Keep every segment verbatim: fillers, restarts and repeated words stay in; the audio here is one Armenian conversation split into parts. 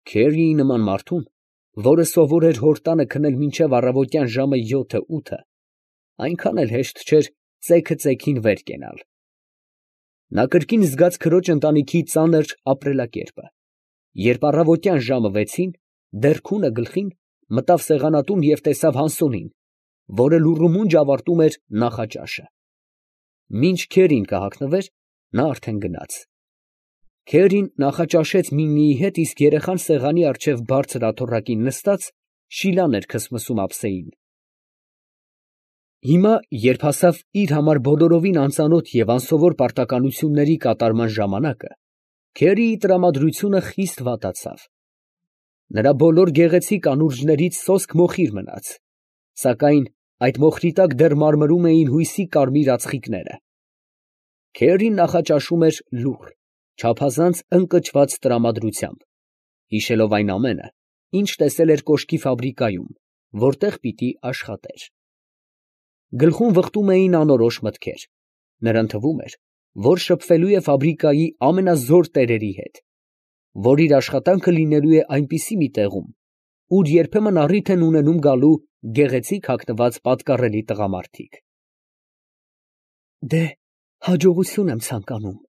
Քերիի նման մարդուն, որը սովոր էր հոր տանը քնել մինչև առավոտյան ժամը յոթը֊ութը, այնքան էլ հեշտ չէր ծեքը ծեքին վեր կենալ. նա կրկին զգաց քրոջ ընտանիքի ծանր ապրելակերպը, երբ առավոտյան ժամը վեցին, դեռ քունը գլխին, մտավ սեղանատուն և տեսավ Հասունին, որը լուռումունջ ավարտում էր նախաճաշը. մինչ Քերին կհագնվեր, նա արդեն գնաց. Քերին նախաճաշեց Միմիի հետ, իսկ երեխան սեղանի առջև բարձր աթոռակին նստած, շիլան էր քսմսում ափսեին. Հիմա, երբ հասավ իր համար բոլորովին անծանոթ և անսովոր պարտականությունների կատարման ժամանակը, Քերիի տրամադրությունը խիստ վատացավ. նրա բոլոր գեղեցիկ անուրջներից սոսկ մոխիր մնաց, սակայն այդ մոխրի տակ դեռ մարմրում էին հույսի կարմիր ածխիկները. Քերին նախաճաշում էր լուռ, չափազանց ընկճված տրամադրությամբ, հիշելով այն ամենը, ինչ տեսել էր կոշկի ֆաբրիկայում, որտեղ պիտի աշխատեր. գլխում վխտում էին անորոշ մտքեր, նրան թվում էր, որ շփվելու է ֆաբրիկայի ամենազոր տերերի հետ, որ իր աշխատանքը լինելու է այնպիսի մի տեղում, ուր երբեմն առիթ են ունենում գալու գեղեցիկ հագնված պատկառելի տղամարդիկ։ «Դե, հաջողություն եմ ցանկանում», ֊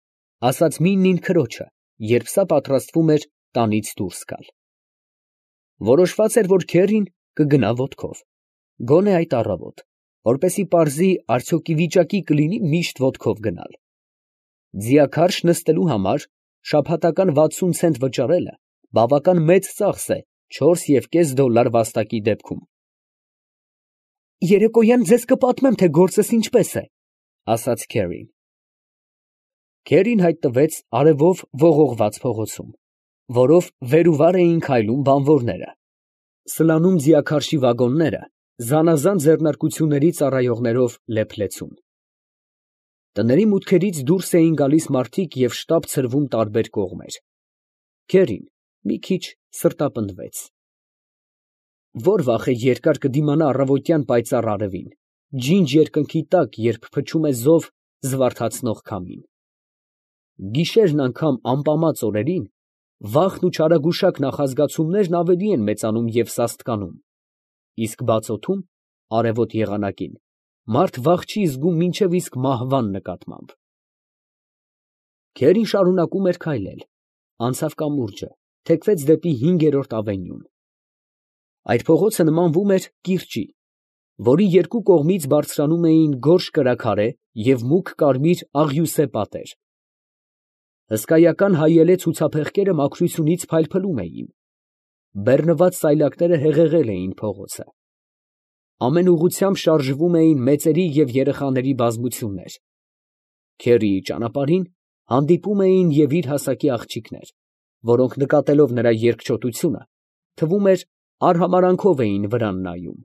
ասաց Միմին քրոջը, երբ սա պատրաստվում էր տանից դուրս գալ։ Որոշված էր, որ Քերին կգնա ոտքով, գոնե այդ առավոտ, որպեսզի պարզի, արդյոք ի վիճակի կլինի միշտ ոտքով գնալ։ Ձիաքարշ նստելու համար շաբաթական վաթսուն ցենտ վճարելը բավական մեծ ծախս է չորս և կես դոլար վաստակի դեպքում։ «Երեկոյան ձեզ կպատմեմ, թե գործս ինչպես է», ֊ ասաց Քերին։ Քերին հայտնվեց արևով ողողված փողոցում, որով վեր ու վար էին քայլում բանվորները, սլանում ձիաքարշի վագոնները, զանազան ձեռնարկությունների ծառայողներով լեփ-լեցուն։ Տների մուտքերից դուրս էին գալիս մարդիկ և շտապ ցրվում տարբեր կողմեր։ Քերին մի քիչ սրտապնդվեց. ո՞ր վախ է երկար կդիմանա առավոտյան պայծառ արևին, ջինջ երկնքի տակ, երբ փչում է զով զվարթացնող քամին։ Գիշերն անգամ ամպամած օրերին վախն ու չարագուշակ նախազգացումներն ավելի են մեծանում և սաստկանում, իսկ բաց օդում, արևոտ եղանակին, մարդ վախ չի զգում մինչև իսկ մահվան նկատմամբ։ Քերին շարունակում էր քայլել, անցավ կամուրջը, թեքվեց դեպի հինգերորդ ավենյուն։ Այդ փողոցը նմանվում էր կիրճի, որի երկու կողմից բարձրանում էին գորշ կրաքարե և մուգ կարմիր աղյուսե պատեր։ Հսկայական հայելե ցուցափեղկերը մաքրությունից փայլփլում էին, բեռնված սայլակները հեղեղել էին փողոցը։ Ամեն ուղղությամբ շարժվում էին մեծերի և երեխաների բազմություններ։ Քերիի ճանապարհին հանդիպում էին և իր հասակի աղջիկներ, որոնք նկատելով նրա երկչոտությունը, թվում էր, արհամարանքով էին վրան նայում։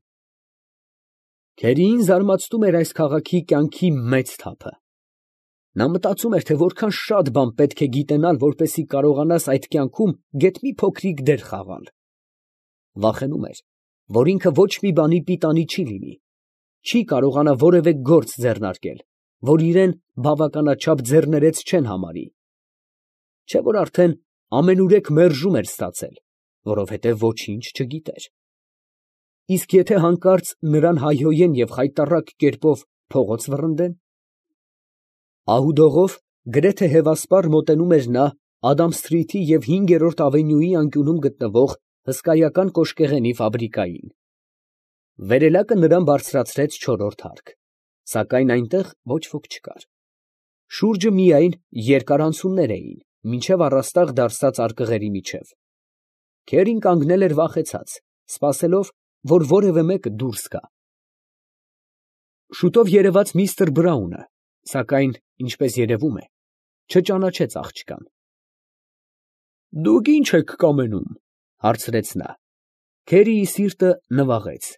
Քերիին զարմացնում էր այս քաղաքի կյանքի մեծ թափը։ Նա մտածում էր, թե որքան շատ բան պետք է գիտենալ, որպեսզի կարողանաս այդ կյանքում գեթ մի փոքրիկ դեր խաղալ։ Վախենում էր, որ ինքը ոչ մի բանի պիտանի չի լինի, չի կարողանա որևէ գործ ձեռնարկել, որ իրան բավականաչափ ձեռներեց չեն համարի, չէ՞ որ արդեն ամենուրեք մերժում էր ստացել, որովհետև ոչինչ չգիտեր։ Իսկ եթե հանկարծ նրան հայհոյեն և խայտառակ կերպով փողոց վռնդեն։ Ահուդողով գրեթե հևասպառ մոտենում էր նա Ադամսթրիթի և հինգերորդ ավենյուի անկյունում գտնվող հսկայական կոշկեղենի ֆաբրիկային։ Վերելակը նրան բարձրացրեց չորրորդ հարկ, սակայն այնտեղ ոչ ոք չկար։ Շուրջը միայն երկար անցումներ էին, մինչև առաստաղ դարսած արկղերի միջև։ Քերին կանգնել էր վախեցած, սպասելով, որ որևէ մեկը դուրս գա։ Շուտով երևաց միստր Բրաունը, սակայն, ինչպես երևում է, չճանաչեց աղջկան։ «Դուք ի՞նչ եք կամենում, ֊ հարցրեց նա։ Քերիի սիրտը նվաղեց։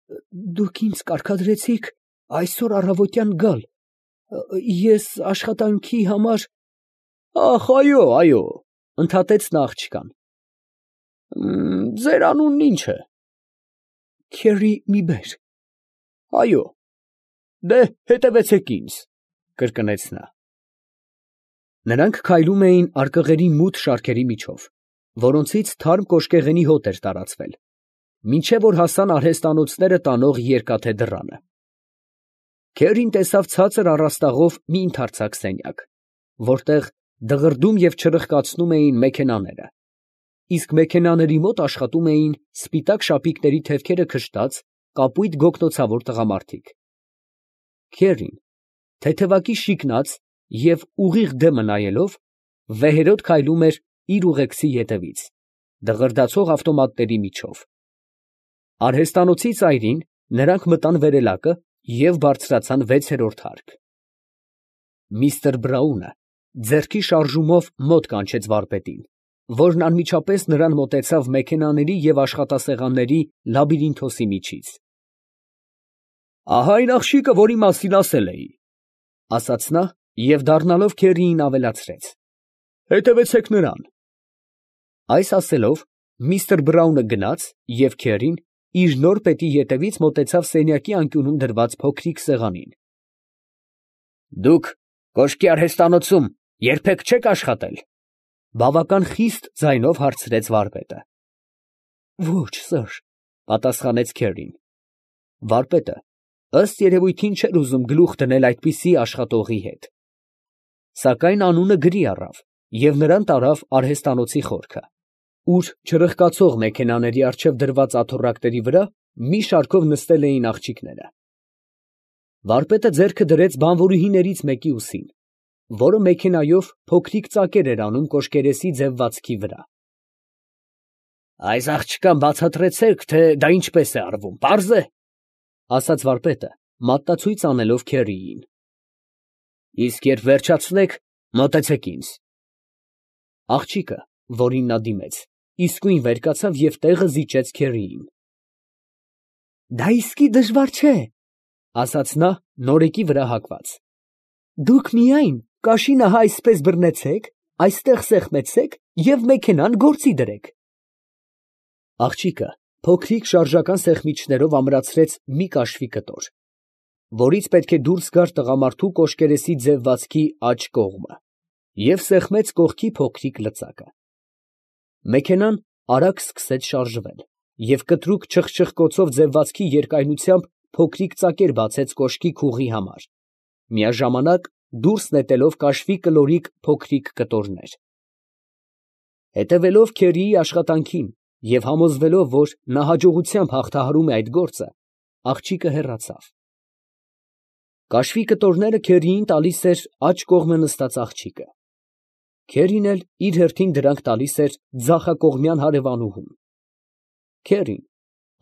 ֊ Դուք ինձ կարգադրեցիք այսօր առավոտյան գալ, ես աշխատանքի համար… ֊ Ա՜խ, այո, այո, ֊ ընդհատեց նա աղջկան։ ֊ Ձեր անունն ի՞նչ է։ ֊ Քերի Միբեր։ ֊ Այո, դե հետևեցեք ինձ, ֊ կրկնեց նա։ Նրանք քայլում էին արկղերի մութ շարքերի միջով, որոնցից թարմ կոշկեղենի հոտ էր տարածվել, մինչև որ հասան արհեստանոցները տանող երկաթե դռանը։ Քերին տեսավ ցածր առաստաղով մի ընդարձակ սենյակ, որտեղ դղրդում և չրխկացնում էին մեքենաները, իսկ մեքենաների մոտ աշխատում էին սպիտակ շապիկների թևքերը քշտած կապույտ գոգնոցավոր տղամարդիկ։ Քերին, թեթևակի շիկնած և ուղիղ դեմը նայելով, վեհերոտ քայլում էր իր ուղեկցի ետևից, դղրդացող ավտոմատների միջով։ Արհեստանոցի ծայրին նրանք մտան վերելակը և բարձրացան վեցերորդ հարկ։ Միսթր Բրաունը ձեռքի շարժումով մոտ կանչեց վարպետին, որն անմիջապես նրան մոտեցավ մեքենաների և աշխատասեղանների լաբիրինթոսի միջից։ ֊ Ահա այն աղջիկը, որի մասին ասել էի, ֊ ասաց նա և դառնալով Քերիին ավելացրեց. ֊ Հետևեցեք նրան։ Այս ասելով, միսթր Բրաունը գնաց, և Քերին իր նոր պետի ետևից մոտեցավ սենյակի անկյունում դրված փոքրիկ սեղանին։ ֊ Դուք կոշկի արհեստանոցում երբեք չե՞ք աշխատել, ֊ բավական խիստ ձայնով հարցրեց վարպետը։ ֊ Ոչ, սըր, ֊ պատասխանեց Քերին։ Վարպետը, ըստ երևույթին, չէր ուզում գլուխ դնել այդպիսի աշխատողի հետ, սակայն անունը գրի առավ և նրան տարավ արհեստանոցի խորքը, ուր չրխկացող մեքենաների առջև դրված աթոռակների վրա մի շարքով նստել էին աղջիկները։ Վարպետը ձեռքը դրեց բանվորուհիներից մեկի ուսին, որը մեքենայով փոքրիկ ծակեր էր անում կոշկերեսի ձևվածքի վրա։ ֊ Այս աղջկան բացատրեցե՛ք, թե դա ինչպես է արվում, պարզ է, ֊ ասաց վարպետը, մատնացույց անելով Քերիին։ ֊ Իսկ երբ վերջացնեք, մոտեցեք ինձ։ Աղջիկը, որին նա դիմեց, իսկույն վեր կացավ և տեղը զիջեց Քերիին։ ֊ Դա իսկի դժվար չէ, ֊ ասաց նա նորեկի վրա հագված. դուք միայն կաշին ահա այսպես բռնեցեք, այստեղ սեղմեցեք և մեքենան գործի դրեք։ Աղջիկը փոքրիկ շարժական սեղմիչներով ամրացրեց մի կաշվի կտոր, որից պետք է դուրս գար տղամարդու կոշկերեսի ձևվածքի աջ կողմը, և սեղմեց կողքի փոքրիկ լծակը։ Մեքենան արագ սկսեց շարժվել, և կտրուկ չխչխկոցով ձևվածքի երկայնությամբ փոքրիկ ծակեր բացեց կոշկի քուղի համար, միաժամանակ դուրս նետելով կաշվի կլորիկ փոքրիկ կտորներ։ Հետևելով Քերիի աշխատանքին և համոզվելով, որ նա հաջողությամբ հաղթահարում է այդ գործը, աղջիկը հեռացավ։ Կաշվի կտորները Քերիին տալիս էր աջ կողմը նստած աղջիկը, Քերին էլ իր հերթին դրանք տալիս էր ձախակողմյան հարևանուհուն։ Քերին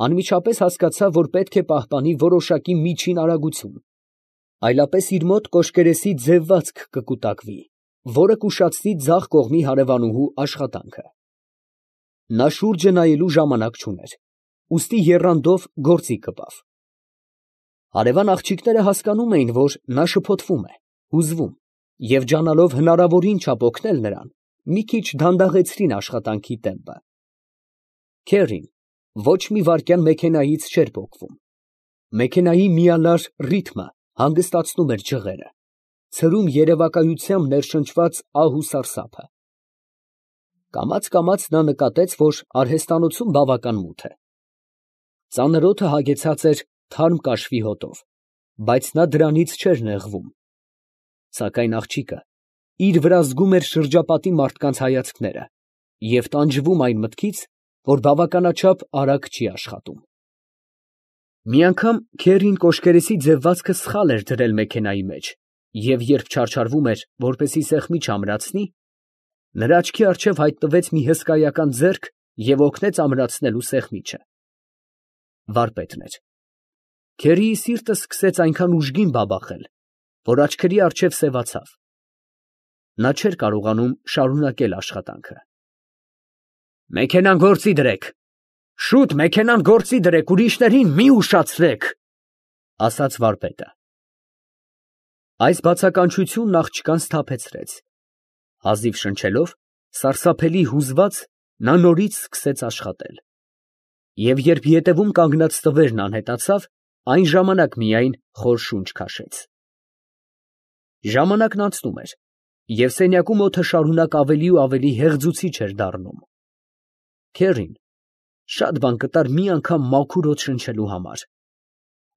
անմիջապես հասկացավ, որ պետք է պահպանի որոշակի միջին արագություն, այլապես իր մոտ կոշկերեսի ձևվածք կկուտակվի, որը կուշացնի ձախ կողմի հարևանուհու աշխատանքը։ Նա շուրջը նայելու ժամանակ չուներ, ուստի եռանդով գործի կպավ։ Հարևան աղջիկները հասկանում էին, որ նա շփոթվում է, հուզվում, և ջանալով հնարավորին չափ օգնել նրան, մի քիչ դանդաղեցրին աշխատանքի տեմպը։ Քերին ոչ մի վայրկյան մեքենայից չէր պոկվում։ Մեքենայի միանար ռիթմը հանգստացնում էր ջղերը, ցրում երևակայությամբ ներշնչված ահ ու սարսափը։ Կամաց֊կամաց նա նկատեց, որ արհեստանոցում բավական մութ է։ Ծանր օդը հագեցած էր թարմ կաշվի հոտով, բայց նա դրանից չէր նեղվում։ Սակայն աղջիկը իր վրա զգում էր շրջապատի մարդկանց հայացքները և տանջվում այն մտքից, որ բավականաչափ արագ չի աշխատում։ Մի անգամ Քերին կոշկերեսի ձևվածքը սխալ էր դրել մեքենայի մեջ, և երբ չարչարվում էր, որպեսզի սեղմիչը ամրացնի, նրա աչքի առջև հայտնվեց մի հսկայական ձեռք և օգնեց ամրացնելու սեղմիչը։ Վարպետն էր։ Քերիի սիրտը սկսեց այնքան ուժգին բաբախել, որ աչքերի առջև սևացավ։ Նա չէր կարողանում շարունակել աշխատանքը։ ֊ Մեքենան գործի դրեք, շուտ մեքենան գործի դրեք, ուրիշներին մի ուշացրեք, ֊ ասաց վարպետը։ Այս բացականչությունն աղջկան սթափեցրեց։ Հազիվ շնչելով, սարսափելի հուզված, նա նորից սկսեց աշխատել։ Եվ երբ ետևում կանգնած տվերն անհետացավ, այն ժամանակ միայն խոր շունչ քաշեց։ Ժամանակն անցնում էր, և սենյակում օդը շարունակ ավելի ու ավելի հեղձուցիչ էր դառնում։ Քերին շատ բան կտար մի անգամ մաքուր օդ շնչելու համար։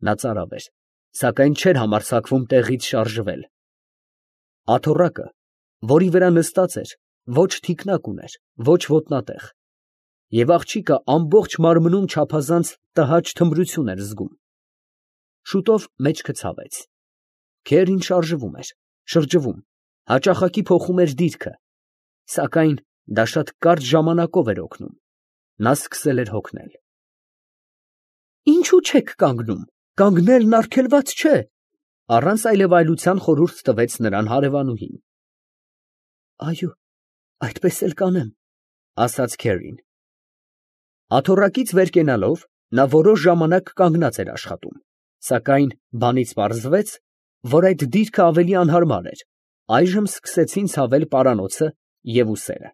Նա ծարավ էր, սակայն չէր համարձակվում տեղից շարժվել։ Աթոռակը, որի վրա նստած էր, ոչ թիկնակ ուներ, ոչ ոտնատեղ, և աղջիկը ամբողջ մարմնում չափազանց տհաճ թմրություն էր զգում։ Շուտով մեջքը ցավեց։ Քերին շարժվում էր, շրջվում, հաճախակի փոխում էր դիրքը, սակայն դա շատ կարճ ժամանակով էր օգնում։ Նա սկսել էր հոգնել։ «Ինչո՞ւ չեք կանգնում, կանգնելն արգելված չէ», ֊ առանց այլևայլության խորհուրդ տվեց նրան հարևանուհին։ «Այո, այդպես էլ կանեմ», ֊ ասաց Քերին։ Աթոռակից վեր կենալով, նա որոշ ժամանակ կանգնած էր աշխատում, սակայն բանից պարզվեց, որ այդ դիրքը ավելի անհարմար էր, այժմ սկսեցին ցավել պարանոցը և ուսերը։